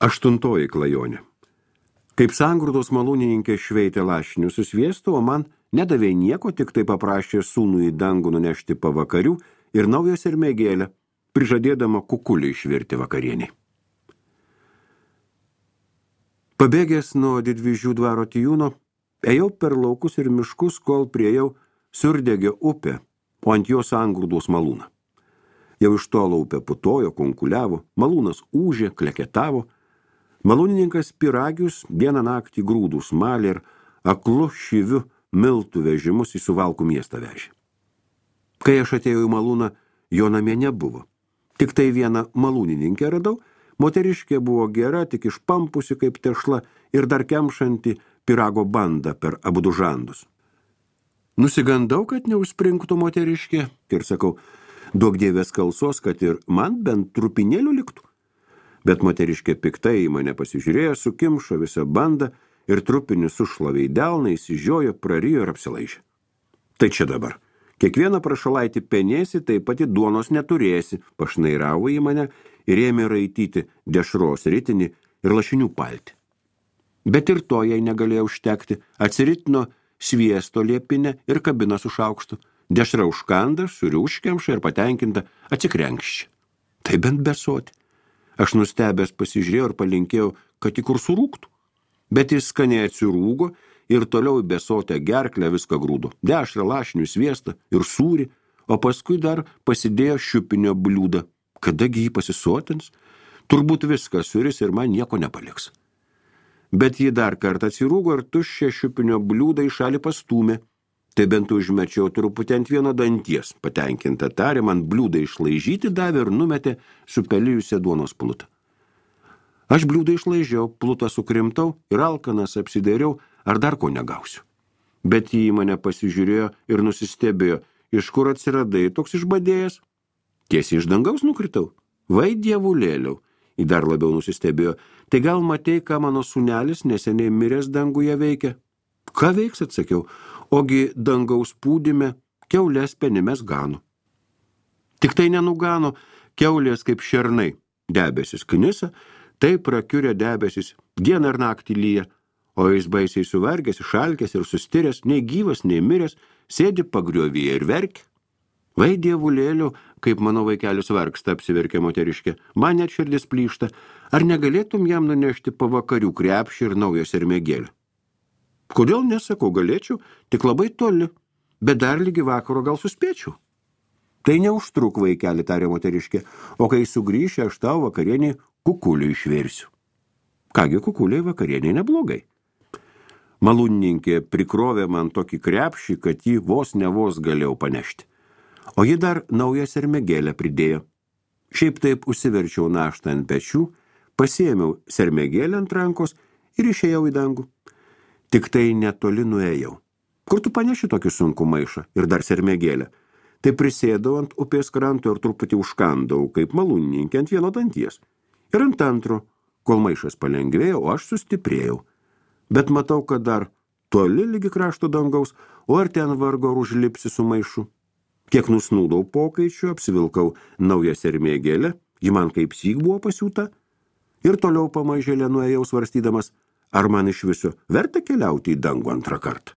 Aštuntoji klajonė. Kaip sangrūdos malūnininkė šveitė lašinių su sviestu, o man nedavė nieko, tik tai paprašė sūnų į dangų nunešti pavakarių ir naują sermėgėlę, prižadėdama kukulį išvirti vakarieniai. Pabėgęs nuo Didvyžių dvaro Tijūno, ėjau per laukus ir miškus, kol priejau Siurdegio upę, o ant jos sangrūdos malūną. Jau iš tolo upė putojo, kunkuliavo, malūnas ūžė, kleketavo. Malūnininkas Piragius dieną naktį grūdus malė ir aklu šyviu miltų vežimus į Suvalkų miestą vežė. Kai aš atėjau į malūną, jo namie nebuvo. Tik tai vieną malūnininkę radau, moteriškė buvo gera, tik išpampusi kaip tešla ir dar kemšanti pyrago bandą per abudu žandus. Nusigandau, kad neužspringtų moteriškė ir sakau, duok dievės kalsos, kad ir man bent trupinėlių liktų. Bet moteriškė piktai į mane pasižiūrėjo, sukimšo visą bandą ir trupinį sušlavė į delną, įsižiojo, prarijo ir apsilaižė. Tai čia dabar. Kiekvieną prašalaitį penėsi, tai pati duonos neturėsi, pašnairavo į mane ir ėmė raityti dešros ritinį ir lašinių paltį. Bet ir to jai negalėjo užtekti, atsiritino sviesto liepinę ir kabiną su šaukštu. Dešra užkanda, suriuškiamša ir patenkinta atsikrenkščia. Tai bent besoti. Aš nustebęs pasižiūrėjau ir palinkėjau, kad į kur surūktų. Bet jis skaniai atsirūgo ir toliau į besotę gerklę viską grūdo. Dešrą, lašinių, sviestą ir sūrį, o paskui dar pasidėjo šiupinio bliūdą. Kadagi jį pasisotins? Turbūt viską suris ir man nieko nepaliks. Bet jį dar kartą atsirūgo ir tuščią šiupinio bliūdą į šalį pastūmė. Tai bent užmečiau truputį ant vieno danties, patenkinta tarė, man bliūdą išlaižyti davė ir numetė supelijusią duonos plutą. Aš bliūdą išlaižiau, plutą sukrimtau ir alkanas apsidairiau, ar dar ko negausiu. Bet jį mane pasižiūrėjo ir nusistebėjo, iš kur atsiradai toks išbadėjęs. Tiesiai iš dangaus nukritau. Vai dievulėliau, į dar labiau nusistebėjo, tai gal matei, ką mano sūnelis neseniai miręs danguje veikia? Ką veiks, atsakiau, ogi dangaus pūdime kiaulės penimes gano. Tik tai nenugano kiaulės kaip šernai, debesis knisa, taip prakiurė debesis, dieną ir naktį lyja, o jis baisiai suvargęs, išalkęs ir sustiręs, nei gyvas, nei miręs, sėdi pagriovyje ir verkia. Vai dievulėliu, kaip mano vaikelis vargsta, apsiverkė moteriškė, man net širdis plyšta, ar negalėtum jam nunešti pavakarių krepšį ir naują sermėgėlę? Kodėl nesakau, galėčiau, tik labai toli, bet dar lygi vakaro gal suspėčiau. Tai neužtruk, vaikeli, tarė moteriškė, o kai sugrįši, aš tau vakarienį kukulių išversiu. Kągi kukuliai vakarieniai neblogai. Malūnininkė prikrovė man tokį krepšį, kad jį vos galėjau panešti. O ji dar naują sermėgėlę pridėjo. Šiaip taip užsiverčiau naštą ant pečių, pasiėmiau sermėgėlę ant rankos ir išėjau į dangų. Tik tai netoli nuėjau. Kur tu paneši tokį sunkų maišą ir dar sermėgėlę? Tai prisėdau ant upės kranto ir truputį užkandau, kaip malūnininkė ant vieno danties. Ir ant antro, kol maišas palengvėjo, o aš sustiprėjau. Bet matau, kad dar toli lygi krašto dangaus, o ar ten vargo ar užlipsi su maišu. Kiek nusnūdau pokaičiu, apsivilkau naują sermėgėlę, ji man kaip syk buvo pasiūta, ir toliau pamažėlę nuėjau svarstydamas, ar man iš viso verta keliauti į dangų antrą kartą.